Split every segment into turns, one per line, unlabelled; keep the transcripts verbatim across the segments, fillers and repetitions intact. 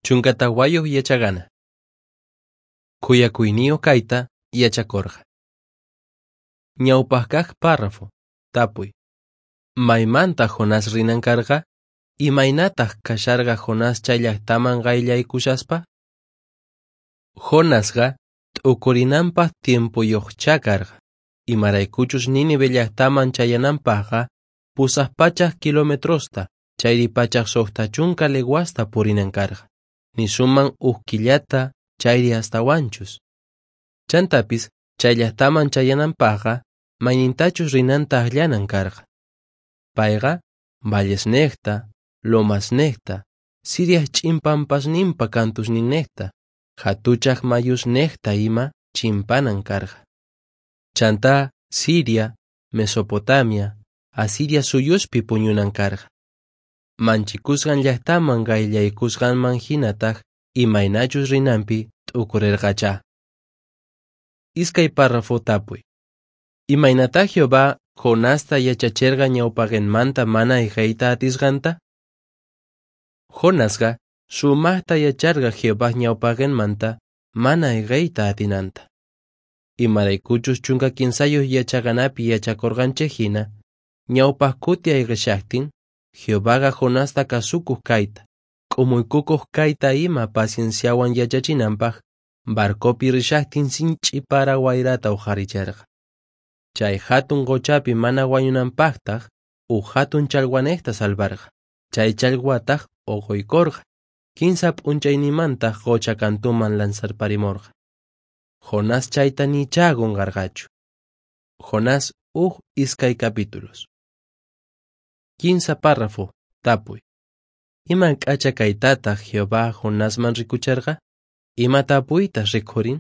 Chunka tawayuq yachaqana. Khuyakuyniyuq kayta yachakurqa. Ñawpaq kaq párrafo. Tapuy. Maymantaq Jonás rinan karqa? Imaynataq kasharqa Jonás chay llaqtaman qayllaykushaspa? Jonasqa t'ukurinanpaq tiempoyuqchá karqa. Imaraykuchus Nínive llaqtaman chayananpaqqa pusaq pachak kilometrosta chayri pachak suqta chunka leguasta purinan karqa. Nisunman uj killata chayri astawanchus. Chantapis chay llaqtaman chayananpaqqa maynintachus rinanta akllanan karqa. Payqa vallesnejta, lomasnejta, Siriaj ch'in pampasninpa kantusninnejta, jatuchaj mayusnejta ima chimpanan karqa. Chantá Siria, Mesopotamia, Asiria suyuspi puñunan karqa. Manchikusqan llaqtaman qayllaykusqanman hinataq imaynachus rinanpi t'ukurirqachá. Iskay párrafo tapuy. Imaynatá Jehová Jonasta yachacherqa ñawpaqenmanta mana ayqeyta atisqanta? Jonasqa sumaqta yacharqa Jehová ñawpaqenmanta mana ayqeyta atinanta. Imaraykuchus chunka kinsayuq yachaqanapi yachakurqanchik hina, ñawpaq kuti ayqishaqtin, Jehovaqa Jonasta kasukuq kayta, k'umuykukuq kayta ima pacienciawan yachachinanpaq barcopi rishaqtin sinch'i para wayrata uqharicherqa. Chay hatun qochapi mana wañunanpaqtaq uj hatun challwanejta salvarqa. Chay challwataq uquykurqa. Kinsa p'unchaynimantaq qocha kantuman lanzarparimurqa. Jonás chayta nichá qunqarqachu. Jonás uj iskay capítulos. Kinsa párrafo. Tapuy. Ima k'acha kaytataq Jehová Jonasman rikucherqa? Ima tapuytas rikhurin?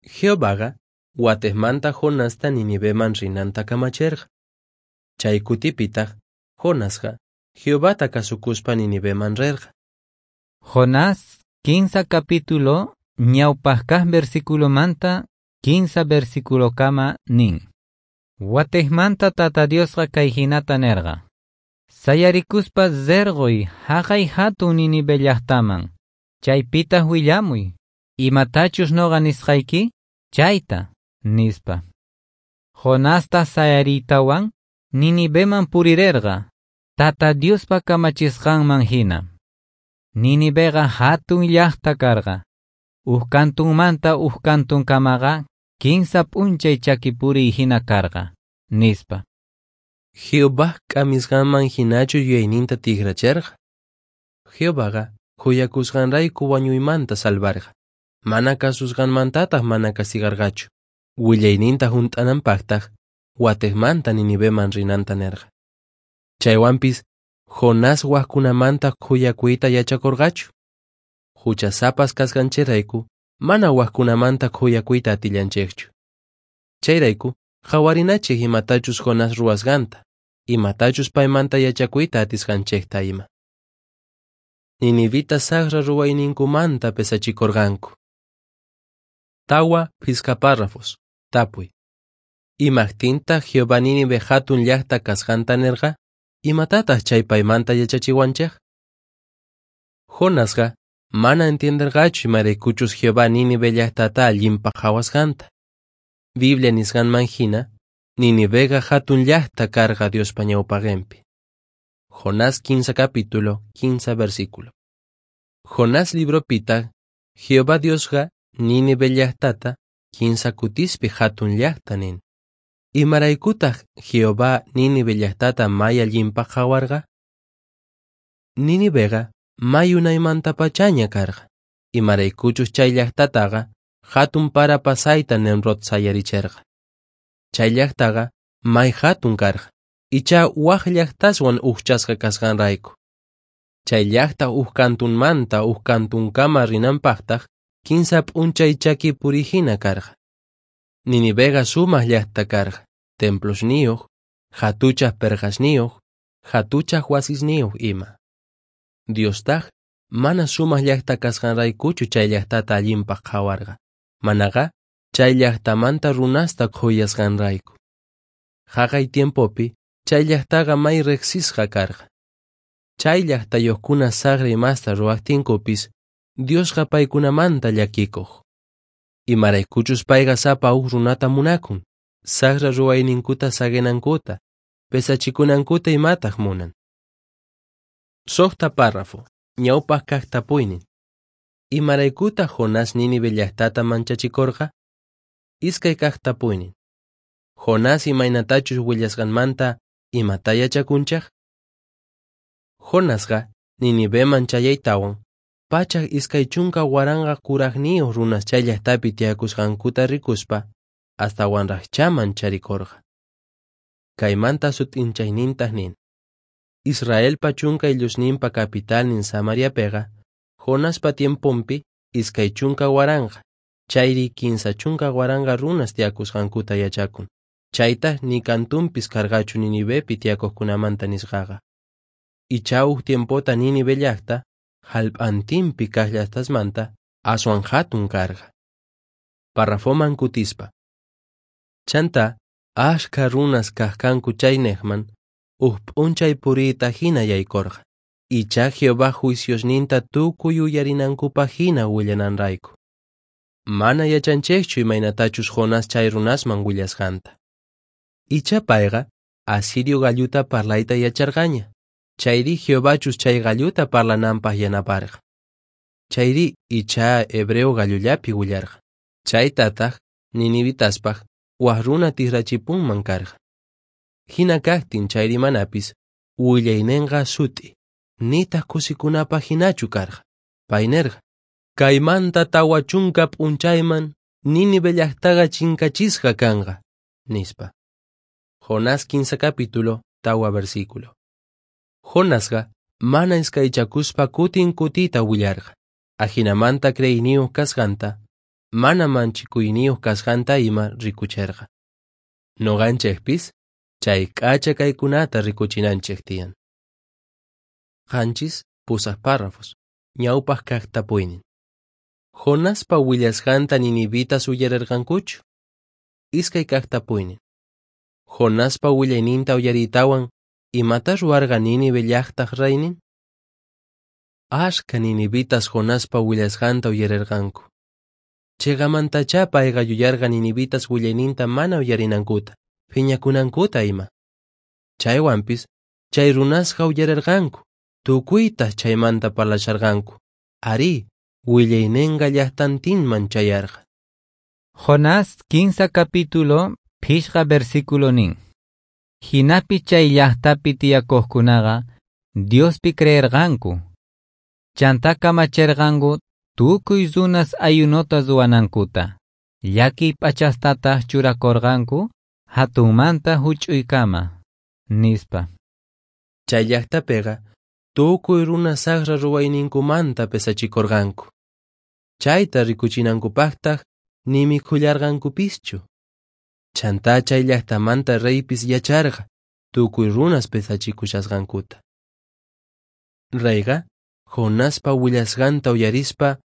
Jehovaqa watejmanta Jonasta Niniveman rinanta kamacherqa. Chay kutipitaq Jonasqa Jehovata kasukuspa Niniveman rirqa.
Jonás kinsa capítulo ñawpaq kaq versículomanta kinsa versiculokama nin. Watejmanta Tata Diosqa kay hinata nerqa. Sayarikuspa zergoy haqay hatun Nínive llaqtaman. Chaypitaq willamuy. Imatachus noqa nisqayki chayta, nispa. Jonasta sayariytawan Niniveman purirerqa. Tata Diospa kamachisqanman hina. Niniveqa hatun llaqta karqa. Uj kantunmanta uj kantunkamaqa kinsa p'unchay chakipuriy hina karqa, nispa.
Jehová k'amisqanman hinachu yuyayninta tikracherqa. Jehovaqa khuyakusqanrayku wañuymanta salvarqa. Mana kasusqanmantataq mana castigarqachu. Willayninta hunt'ananpaqtaq watejmanta Niniveman rinanta nerqa. Chaywanpis Jonás wajkunamanta khuyakuyta yachakurqachu. Huchasapas kasqanchikrayku mana wajkunamanta khuyakuyta atillanchikchu. Chayrayku qhawarinachik imatachus Jonás ruwasqanta, imatachus paymanta yachakuyta atisqanchikta ima. Ninivita saqra ruwayninkumanta pesachikurqanku. Tawa phisqa párrafos. Tapuy. Imaqtintaq Jehová Nínive hatun llaqta kasqanta nirqa? Imatataq chay paymanta yachachiwanchik? Jonasqa mana entienderqachu imaraykuchus Jehová Nínive llaqtata allinpaq qhawasqanta. Biblia nisqanman hina, Niniveqa hatun llaqta karqa Diospa ñawpaqenpi. Jonás quince capítulo, quince versículo. Jonás libropitaq Jehová Diosqa Nínive llaqtata kinsa kutispi hatun llaqta nin. Imaraykutaq Jehová Nínive llaqtata may allinpaq qhawarqa? Niniveqa may unaymantapachaña karqa. Imaraykuchus chay llaqtataqa hatun para pasayta Nemrod sayaricherqa. Chay llaqtaqa may hatun karqa. Icha waj llaqtaswan ujchasqa kasqanrayku. Chay llaqta uj kantunmanta uj kantunkama rinanpaqtaq kinsa p'unchay chaki purihina karqa. Niniveqa sumaq llaqta karqa, templosniyuq, hatuchaq perqasniyuq, hatuchaq wasisniyuq ima. Diostaq mana sumaq llaqta kasqanraykuchu chay llaqtata allinpaq qhawarqa, manaqa chay llaqtamanta runasta khuyasqanrayku. Haqay tiempopi chay llaqtaqa may riqsisqa karqa. Chay llaqtayuqkuna saqra imasta ruwaqtinkupis, Diosqa paykunamanta llakikuq. Imaraykuchus payqa sapa uj runata munakun, saqra ruwayninkuta saqinankuta, pesachikunankuta imataq munan. Suqta párrafo, ñawpaq kaq tapuynin. Imaraykutaq Jonás Nínive llaqtata manchachikurqa? Iskay kaq tapuynin. Jonás imaynatachus willasqanmanta imata yachakunchaq? Jonasqa Niniveman chayaytawan, pachak iskay chunka waranqa kuraqniyuq runas chay llaqtapi tiyakusqankuta rikuspa, astawanraqchá mancharikurqa. Kaymanta sut'inchaynintaq nin: Israelpa chunka ayllusninpa capitalnin Samariapiqa, Jonaspa tiemponpi iskay chunka waranqa, chayri kinsa chunka waranqa runas tiyakusqankuta yachakun. Chaytaq ni kantunpis karqachu Ninivepi tiyakuqkunamanta nisqaqa. Ichá uj tiempota Nínive llaqta, jallp'antinpi kaq llaqtasmanta aswan hatun karqa. Parrafoman kutispa. Chanta, ashkha runas kaq kanku chaynejman, uj p'unchay puriyta hina yaykurqa. Ichá Jehová juiciosninta tukuy uyarinankupaq hina willananrayku. Mana yachanchikchu imaynatachus Jonás chay runasman willasqanta. Ichá payqa asirio galluta parlayta yacharqaña. Chayri Jehovachus chay galluta parlananpaq yanaparqa. Chayri ichá hebreo gallullapi willarqa. Chaytataq ninivitaspaq waj runa tikrachipunman karqa. Hina kaqtin chayri manapis willaynenqa sut'i, nitaq kusikunapaq hinachu karqa. Pay nerqa: Kaymanta tawa chunka p'unchayman Nínive llaqtaqa chinkachisqa kanqa, nispa. Jonás quince capítulo, tawa versículo. Jonasqa mana iskaychakuspa kutin kutita willarqa. Ajinamanta creyniyuq kasqanta, mana manchikuyniyuq kasqanta ima rikucherqa. Noqanchikpis chay k'acha kaykunata rikuchinanchik tiyan. Qanchis pusaq párrafos, ñawpaq kaq tapuynin. Jonaspa willasqanta ninivitas uyarirqankuchu? Iskay kaq tapuynin. Jonaspa willayninta uyariytawan, imata ruwarqa Nínive llaqtaq raynin? Ashka ninivitas Jonaspa willasqanta uyarirqanku. Chiqamantachá payqa yuyarqa ninivitas willayninta mana uyarinankuta, phiñakunankuta ima. Chaywanpis, chay runasqa uyarirqanku, tukuytaq chaymanta parlasharqanku. Arí, willayninqa llaqtantinman chayarqa.
Jonás quince capítulo, phishqa versículo nin. Hinapi chay llaqtapi tiyakuqkunaqa Diospi creerqanku. Chanta kamacherqanku tukuy runas ayunota ruwanankuta. Llakiy p'achastataq churakurqanku hatunmanta huch'uykama, nispa.
Chay llaqtapiqa tukuy runas saqra ruwayninkumanta pesachikurqanku. Chayta rikuchinankupaqtaq ni mikhullarqankupischu. Chantá chay llaqtamanta reypis yacharqa tukuy runas pesachikushasqankuta. Reyqa Jonaspa willasqanta uyarispa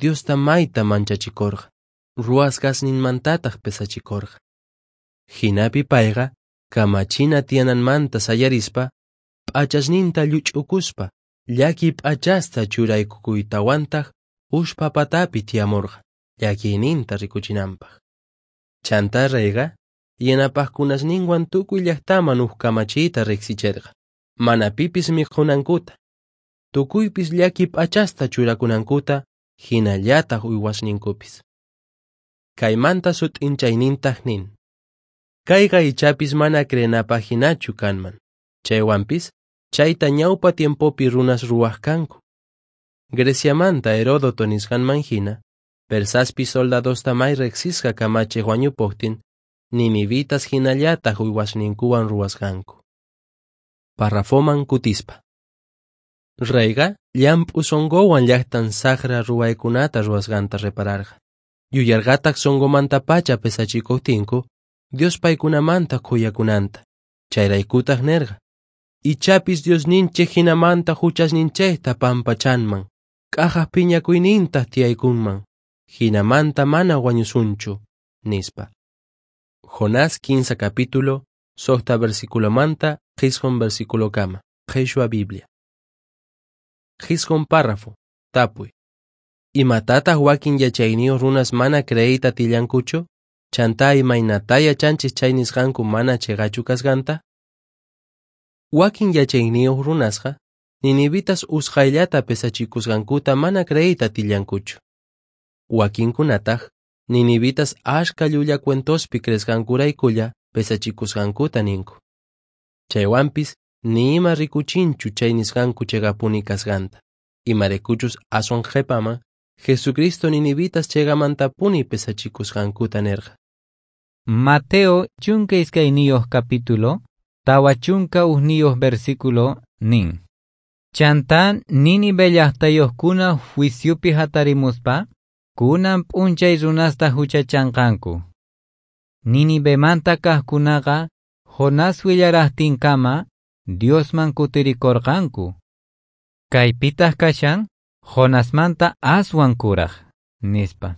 Diosta mayta manchachikurqa, ruwasqasninmantataq pesachikurqa. Hinapi payqa kamachina tiyananmanta sayarispa, p'achasninta lluch'ukuspa, llaki p'achasta churaykukuytawantaq ushpa patapi tiyamurqa, llakiyninta rikuchinanpaq. Chantá reyqa yanapaqkunasninwan tukuy llaqtaman uj kamachiyta riqsicherqa, mana pipis mikhunankuta, tukuypis llaki p'achasta churakunankuta, hinallataq uywasninkupis. Kaymanta sut'inchaynintaq nin: Kayqa ichapis mana creenapaq hinachu kanman. Chaywanpis, chayta ñawpa tiempopi runas ruwaq kanku. Greciamanta Heródoto nisqanman hina, Persaspi soldadosta may riqsisqa kamachiq wañupuqtin, ninivitas hinallataq uywasninkuwan ruwasqanku. Parrafoman kutispa. Reyqa llamp'u sunquwan llaqtan saqra ruwaykunata ruwasqanta repararqa. Yuyarqataq sunqumantapacha pesachikuqtinku, Dios paykunamanta khuyakunanta. Chayraykutaq nerqa: Ichapis Diosninchik hinamanta huchasninchikta pampachanman, k'ajaq phiñakuynintaq tiyaykunman, hinamanta mana wañusunchu, nispa. Jonás quince capítulo, suqta versículomanta, qisqun versículokama, Qhichwa Biblia. Jisqun párrafo. Tapuy. Imatataq wakin yachayniyuq runas mana creeyta atillankuchu? Chantá imaynatá yachanchik chay nisqanku mana chiqachu kasqanta? Wakin yachayniyuq runasqa ninivitas usqhayllata pesachikusqankuta mana creeyta atillankuchu. Wakinkunataq ninivitas ashka llulla cuentospi creesqankuraykulla pesachikusqankuta ninku. Chaywanpis ni ima rikuchinchu chay nisqanku chiqapuni kasqanta. Imaraykuchus aswan qhipaman Jesucristo ninivitas chiqamantapuni pesachikusqankuta nirqa.
Mateo chunka iskayniyuq capítulo, tawa chunka uhniyuq versículo nin. Chantá Nínive llaqtayuqkuna juiciopi hatarimuspa, kunan p'unchay runasta huchachanqanku. Ninivemanta kaqkunaqa Jonás willaraqtinkama Diosman kutirikurqanku. Kaypitaq kashan Jonasmanta aswan kuraq, nispa.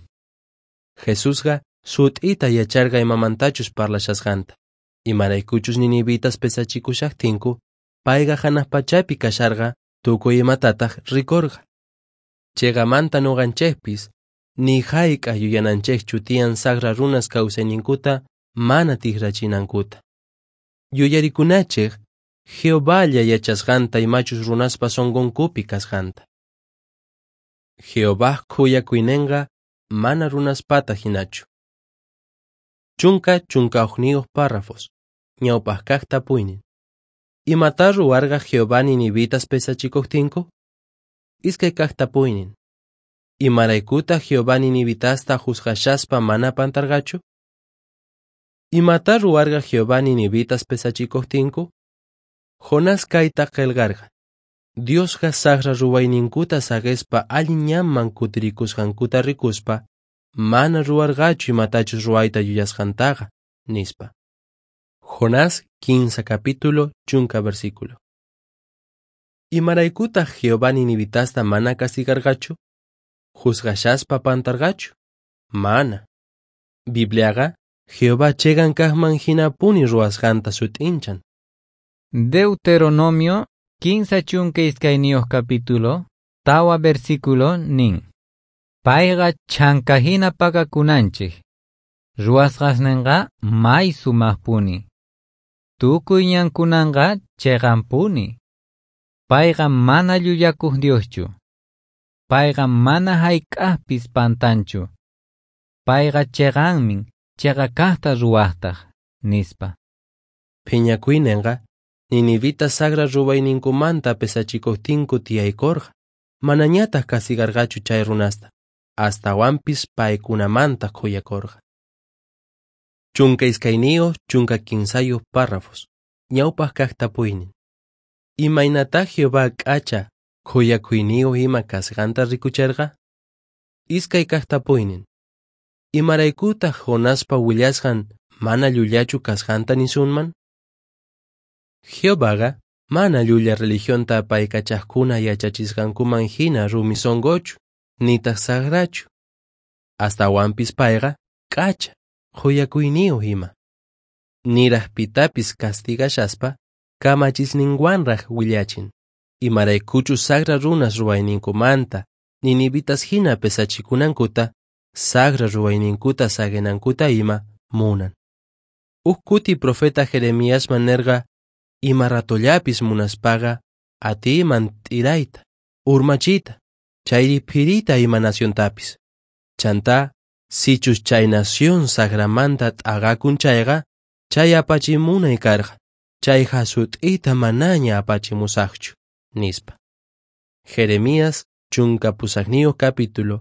Jesusqa sut'ita yacharqa imamantachus parlashasqanta. Imaraykuchus ninivitas pesachikushaqtinku, payqa hanaq pachapi kasharqa tukuy imatataq rikurqa. Chiqamanta nuqanchikpis ni hayk'aq yuyananchikchu tiyan saqra runas kawsayninkuta mana tikrachinankuta. Yuyarikunachik Jehovalla yachasqanta imachus runaspa sunqunkupi kasqanta. Jehová khuyakuyninqa mana runaspata hinachu. Chunka chunka hukniyuq párrafos. Ñawpaq kaq tapuynin. Imatá ruwarqa Jehová ninivitas pesachikuqtinku? Iskay kaq tapuynin. Imaraykutaq Jehová ninivitasta juzgashaspa mana pantarqachu? Imatá ruwarqa Jehová ninivitas pesachikuqtinku? Jonás kayta qillqarqa. Diosqa saqra ruwayninkuta saqispa allin ñanman kutirikusqankuta rikuspa, mana ruwarqachu imatachus ruwayta yuyasqantaqa, nispa. Jonás quince capítulo chunka versículo. Imaraykutaq Jehová ninivitasta mana castigarqachu? Juzgashaspa pantarqachu? Mana. Bibliaqa Jehová chiqan kaqman hinapuni ruwasqanta sut'inchan.
Deuteronomio kinsa chunka iskayniyuq capítulo, tawa versículo nin. Payqa chhanka hina pakakunanchik. Ruwasqasninqa may sumaqpuni. Tukuy ñankunanqa chiqanpuni. Payqa mana llullakuq Dioschu. Payqa mana hayk'aqpis pantanchu. Payqa chiqanmin, chiqa kaqta ruwaqtaq, nispa.
Phiñakuyninqa ninivita saqra ruwayninkumanta pesachikuqtinku tiyaykurqa, manañataq castigarqachu chay runasta, astawanpis paykunamanta khuyakurqa. Chunka iskayniyuq chunka kinsayuq párrafos. Ñawpaq kaq tapuynin. Imaynatá Jehová k'acha khuyakuyniyuq ima kasqanta rikuchirqa? Iskay kaq tapuynin. Imaraykutaq Jonaspa willasqan mana llullachu kasqanta nisunman? Jehovaqa mana llulla religionta apaykachaqkuna yachachisqankuman hina rumi sunquchu, nitaq saqrachu. Astawanpis payqa k'acha, khuyakuyniyuq ima. Niraq pitapis castigashaspa, kamachisninwanraq willachin. Imaraykuchus saqra runas ruwayninkumanta, ninivitas hina pesachikunankuta, saqra ruwayninkuta saqinankuta ima munan. Huk kuti profeta Jeremiasman nirqa, ima ratollapis munaspaqa atiyman t'irayta, urmachiyta, chayri phiriyta ima naciontapis. Chantá, sichus chay nación saqramanta t'aqakun chayqa, chay apachimunay karqa, chay hasut'ita manaña apachimusaqchu, nispa. Jeremías chunka pusaqniyuq capítulo,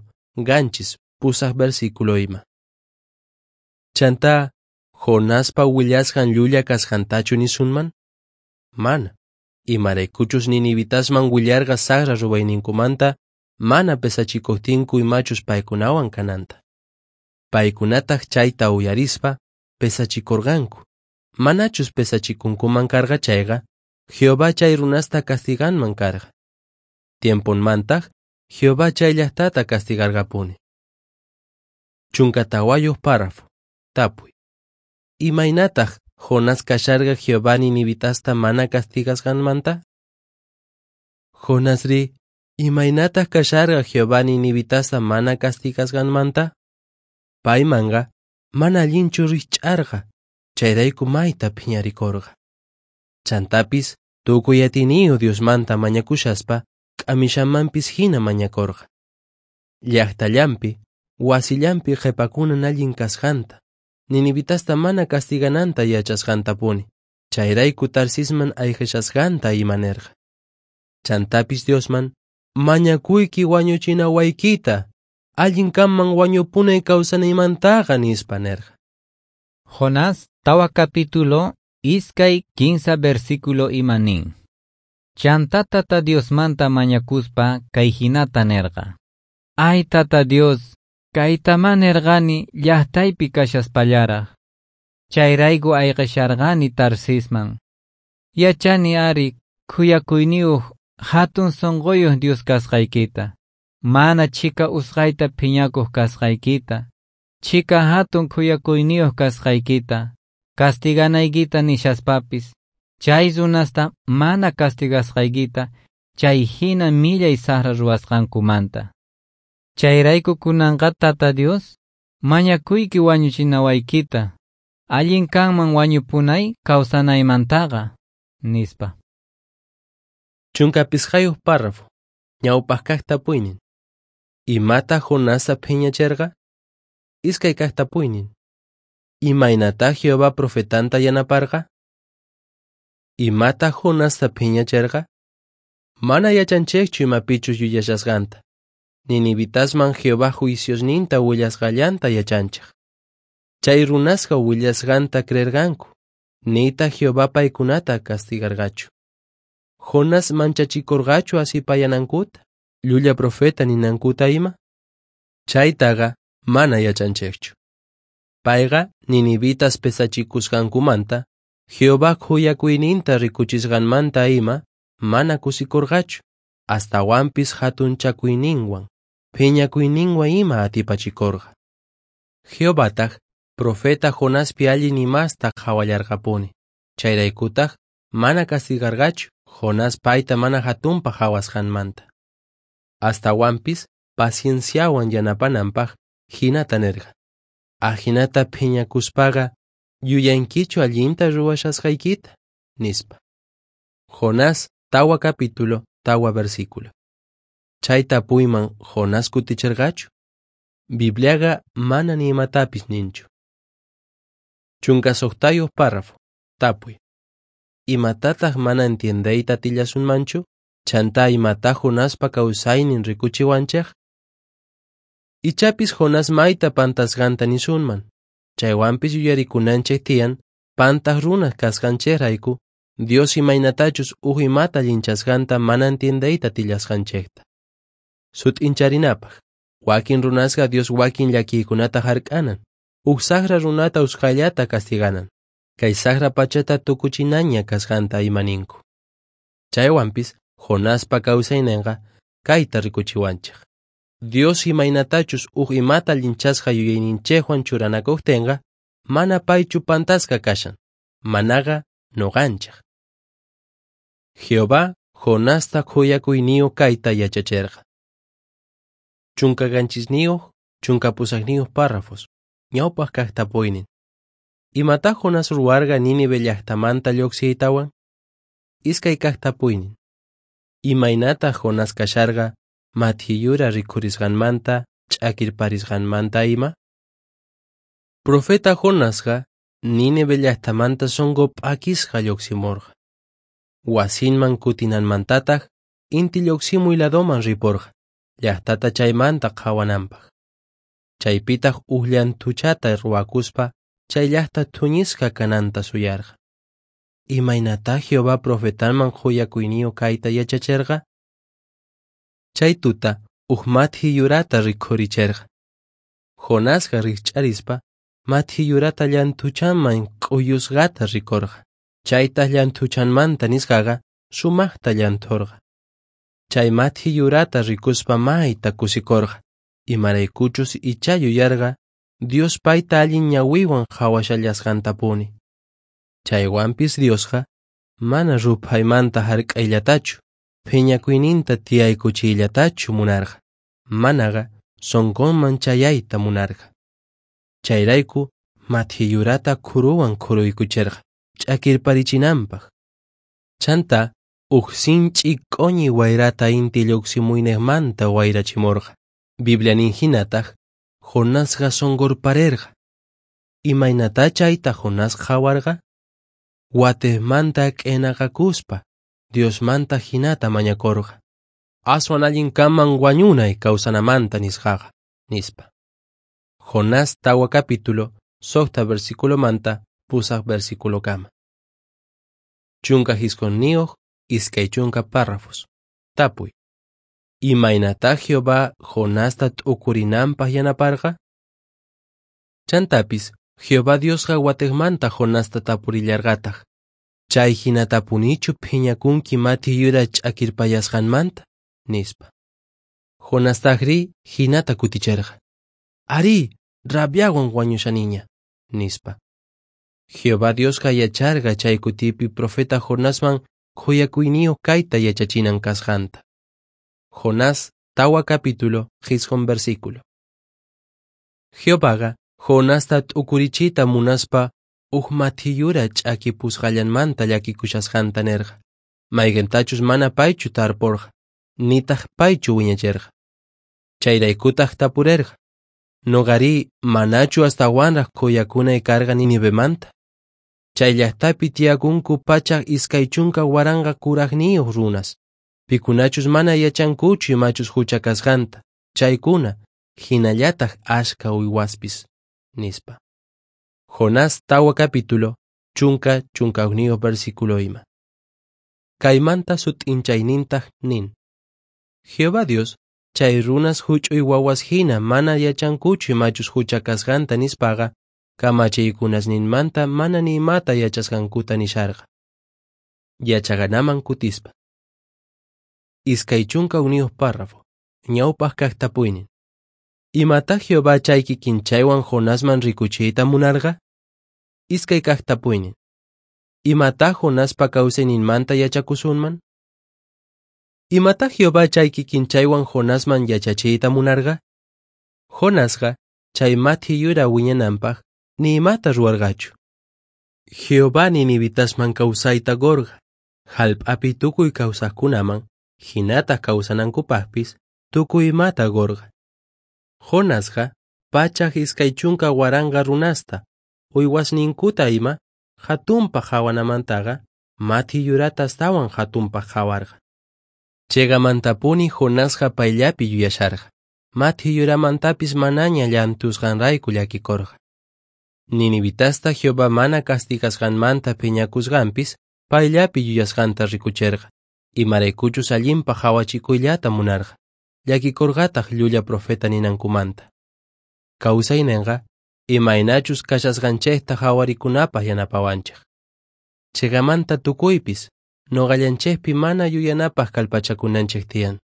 qanchis pusaq versículo ima. Chantá, Jonaspa willasqan llulla kasqantachu nisunman? Mana. Imaraykuchus ninivitasman willarqa saqra ruwayninkumanta mana pesachikuqtinku imachus paykunawan kananta. Paykunataq chayta uyarispa pesachikurqanku. Manachus pesachikunkuman karqa chayqa, Jehová chay runasta castiganman karqa. Tiemponmantaq, Jehová chay llaqtata castigarqapuni. Chunka tawayuq párrafo. Tapuy. Imaynataq Jonás kasharqa Jehová ninivitasta mana castigasqanmanta? Jonasri, Imaynataq kasharqa Jehová ninivitasta mana castigasqanmanta? Paymanqa mana allinchu rikch'arqa, chayrayku mayta phiñarikorqa. Chantapis tukuy atiyniyu Diosmanta mañakushaspa k'amishamanpis hina mañakorqa. Llaqtallanpi, wasillanpi qhipakunan allin kasqanta, ninivitasta mana castigananta yachasqantapuni, chayrayku Tarsisman ayqishasqanta ima nerqa. Chantapis Diosman mañakuyki wañuchinawaykita, allin kanman wañupunay kawsanaymantaqa nispa nerqa.
Jonás tawa capítulo iskay kinsa versículo ima nin. Chanta Tata Diosmanta mañakuspa kay hinata nerqa. Ay Tata Dios, kaytama nerqani llaqtaypi kashaspallaraq. Chayrayku ayqisharqani Tarsisman. Yachani ari khuyakuyniyuq hatun sunquyuq Dios kasqaykita. Mana chhika usqayta phiñakuq kasqaykita. Chhika hatun khuyakuyniyuq kasqaykita. Castiganaykita nishaspapis. Chay runasta mana castigasqaykita, chay hina millay saqra ruwasqankumanta. Chayrayku kunanqa Tata Dios, mañakuyki wañuchinawaykita, allin kanman wañupunay kawsanaymantaqa, nispa.
Chunka pisqayuq párrafo, ñawpaq kaq tapuynin. Imata Jonasta phiñacherqa? Iskay kaq tapuynin. Imaynata Jehová profetanta yanaparqa? Imata Jonasta phiñacherqa? Mana yachanchikchu imapichus yuyashasqanta. Ninivitasman Jehová juiciosninta willasqallanta yachanchik. Chay runasqa willasqanta creerqanku, nita Jehová paykunata castigarqachu. Jonás manchachikurqachu asipayanankuta, llulla profeta ninankuta ima? Chaytaqa mana yachanchikchu. Payqa ninivitas pesachikusqankumanta, Jehová khuyakuyninta rikuchisqanmanta ima mana kusikurqachu, astawanpis hatunchakuyninwan, phiñakuyninwan ima atipachikurqa. Jehovataq profeta Jonaspi allin imasta qhawallarqapuni, chayraykutaq mana castigarqachu Jonás payta mana hatunpaq qhawasqanmanta. Astawanpis pacienciawan yanapananpaq hinata nerqa. Ajinata phiñakuspaqa yuyankichu allinta ruwashasqaykita, nispa. Jonás tawa capítulo tawa versículo. Chay tapuyman Jonás kuticherqachu? Bibliaqa mana ni imatapis ninchu. Chunka suqtayuq párrafo. Tapuy. Imatataq mana entiendeyta atillasunmanchu? Chanta imata Jonaspa kawsaynin rikuchiwanchik? Ichapis Jonás mayta pantasqanta nisunman. Chaywanpis yuyarikunanchik tiyan pantaq runas kasqanchikrayku Dios imaynatachus uj imata allinchasqanta mana entiendeyta atillasqanchikta. Sut'incharinapaq, wakin runasqa Dios wakin llakiykunata hark'anan, uj saqra runata usqhayllata castiganan, kay saqra pachata tukuchinaña kasqanta ima ninku. Chaywanpis Jonaspa kawsayninqa kayta rikuchiwanchik. Dios imaynatachus uj imata allinchasqa yuyayninchikwan churanakuqtinqa, mana paychu pantasqa kashan, manaqa nuqanchik. Jehová Jonasta khuyakuyniyuq kayta yachacherqa. Chunka qanchisniyuq, chunka pusaqniyuq párrafos, ñawpaq kaq tapuynin. Imata Jonás ruwarqa Nínive llaqtamanta lluqsiytawan? Iskay kaq tapuynin. Imaynata Jonás kasharqa mathiyura rikhurisqanmanta, ch'akirparisqanmanta ima? Profeta Jonasqa Nínive llaqtamanta sunqu p'akisqa lluqsimurqa. Wasinman kutinanmantataq inti lluqsimuy ladoman riporqa, llaqtata chaymanta qhawananpaq. Chaypitaq uj llanthuchata ruwakuspa chay llaqta thuñisqa kananta suyarqa. Imaynata Jehová profetanman khuyakuyniyuq kayta yachacherqa? Chay tuta uj mathi yurata rikhuricherqa. Jonasqa rikch'arispa mathi yurata llanthuchanman k'uyusqata rikorqa. Chaytaq llanthuchanmanta nisqaqa sumaqta llanthorqa. Chay mathi yurata rikuspa mayta kusikorqa, imaraykuchus ichá yuyarqa Dios payta allin ñawiwan qhawashallasqantapuni. Chaywanpis Diosqa mana ruphaymanta hark'ayllatachu, phiñakuyninta tiyaykuchiyllatachu munarqa, manaqa sonqonman chayayta munarqa. Chayrayku mathi yurata khuruwan khuruykucherqa ch'akirparichinanpaq. Chanta uj sinch'i q'oñi wayrata inti lluqsimuynejmanta wayrachimorqa. Biblia nin hinataq Jonasqa sonqorparerqa. Imaynatá chayta Jonás qhawarqa? Watejmanta k'enaqakuspa Diosmanta hinata mañakorqa. Aswan allin kanman wañunay kawsanamanta nisqaqa, nispa. Jonás tawa capítulo, suqta versículomanta pusaq versículokama. Chunka jisq'unniyuq, iskay chunka párrafos. Tapuy. Imaynatá Jehová Jonasta t'ukurinanpaq yanaparqa? Chantapis Jehová Diosqa watejmanta Jonasta tapurillarqataq. Chay hinatapunichu phiñakunki mathi yura ch'akirpayasqanmanta, nispa. Jonastajrí hinata kuticherqa. Arí, rabiawan wañushaniña, nispa. Jehová Diosqa yacharqa chay kutipi profeta Jonasman khuyakuyniyuq kayta yachachinan kasqanta. Jonás tawa capítulo jisq'un versículo. Jehovaqa Jonasta t'ukurichiyta munaspa uj mathi yura ch'akipusqallanmanta llakikushasqanta nerqa, mayqintachus mana paychu tarporqa, nitaq paychu wiñacherqa. Chayraykutaq tapurerqa, noqarí manachu astawanraq khuyakunay karqa Ninivemanta? Chay llaqtapi tiyakunku pachak iskay chunka waranqa kuraqniyuq runas, pikunachus mana yachankuchu imachus hucha kasqanta, chaykuna hinallataq ashka uywaspis, nispa. Jonás tawa capítulo, chunka chunka hukniyuq versículo ima. Kaymanta sut'inchaynintaq nin. Jehová Dios chay runas huch'uy wawas hina mana yachankuchu imachus hucha kasqanta nispaqa, kamachiykunasninmanta mana ni imata yachasqankuta nisharqa. Yachaqanaman kutispa. Iskay chunka hukniyuq párrafo, ñawpaq kaq tapuynin. Imatá Jehová chay kikinchaywan Jonasman rikuchiyta munarqa? Iskay kaq tapuynin. Imatá Jonaspa kawsayninmanta yachakusunman? Imatá Jehová chay kikinchaywan Jonasman yachachiyta munarqa? Jonasqa chay mathi yura wiñananpaq ni imata ruwarqachu. Jehová ninivitasman kawsayta qurqa, hallp'api tukuy kawsaqkunaman, hinataq kawsanankupaqpis tukuy imata qurqa. Jonasqa pachak iskay chunka waranqa runasta, uywasninkuta ima hatunpaq qhawanamantaqa mathi yurata astawan hatunpaq qhawarqa. Cheqamantapuni Jonasqa payllapi yuyasharqa, mathi yuramantapis manaña llantusqanrayku llakikorqa. Ninivitasta Jehová mana castigasqanmanta phiñakusqanpis payllapi yuyasqanta rikucherqa, imaraykuchus allinpaq qhawachikuyllata munarqa, llakikorqataq llulla profeta ninankumanta. Kawsaynenqa imaynachus kashasqanchikta qhawarikunapaq yanapawanchik. Cheqamanta tukuypis noqallanchikpi mana yuyanapaq kallpachakunanchik tiyan.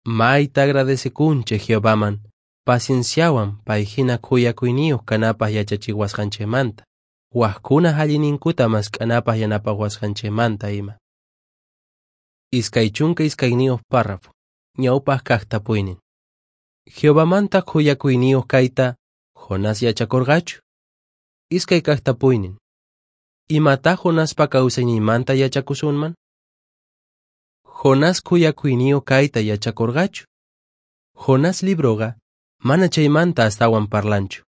Mayta agradecekunchik Jehovaman pacienciawan pay hina khuyakuyniyuq kanapaq yachachiwasqanchikmanta, wajkunaq allinninkuta mask'anapaq yanapawasqanchikmanta ima. Iskay chunka iskayniyuq párrafo, ñawpaq kaq tapuynin. Jehovamanta khuyakuyniyuq kayta Jonás yachakorqachu? Iskay kaq tapuynin. Imatá Jonaspa kawsayninmanta yachakusunman? Jonás khuyakuyniyuq kayta yachakorqachu? Jonás libroqa mana chaymanta astawan parlanchu.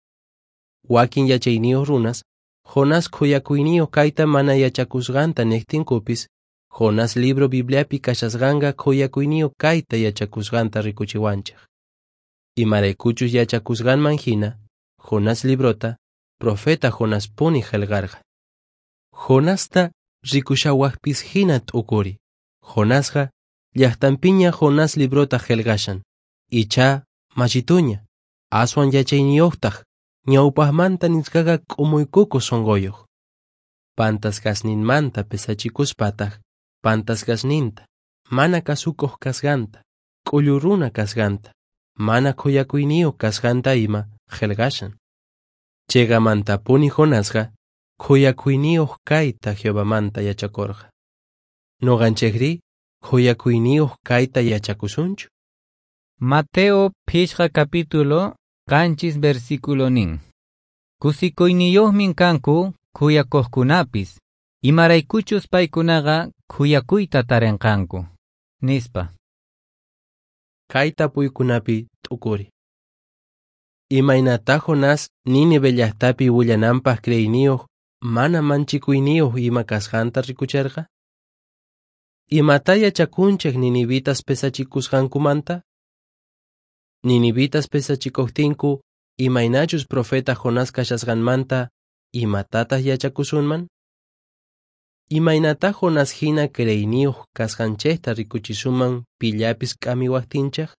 Wakin yachayniyuq runas Jonás khuyakuyniyuq kayta mana yachakusqanta niqtinkupis, Jonás libro Bibliapi kashasqanqa khuyakuyniyuq kayta yachakusqanta rikuchiwanchik. Imaraykuchus yachakusqanman hina, Jonás librota profeta Jonaspuni qillqarqa. Jonasta rikushawaqpis hina t'ukuri. Jonasqa llaqtanpiña Jonás librota qillqashan, icha machituña, aswan yachayniyuqtaq, ñawpaqmanta nisqaqa k'umuykukuq sunquyuq. Pantasqasninmanta pesachikuspataq, pantasqasninta, mana kasukuq kasqanta, k'ullu runa kasqanta, mana khuyakuyniyuq kasqanta ima qillqashan. Cheqamantapuni Jonasqa khuyakuyniyuq kayta Jehovamanta yachakorqa. Noqanchikrí Khuyakuyniyuq kayta yachakusunchu?
Mateo phishqa capítulo qanchis versículo nin. Kusikuyniyuqmin kanku khuyakuqkunapis, imaraykuchus paykunaqa khuyakuyta tarinqanku, nispa.
Kay tapuykunapi t'ukuri. Imaynatá Jonás Nínive llaqtapi willananpaq creeyniyuq mana manchikuyniyuq ima kasqanta rikucherqa? Imatá yachakunchik ninivitas pesachikusqankumanta? Ninivitas pesachikuqtinku imaynachus profeta Jonás kashasqanmanta imatataq yachakusunman? Imaynatá Jonás hina creeyniyuq kasqanchikta rikuchisunman pillapis k'amiwaqtinchik?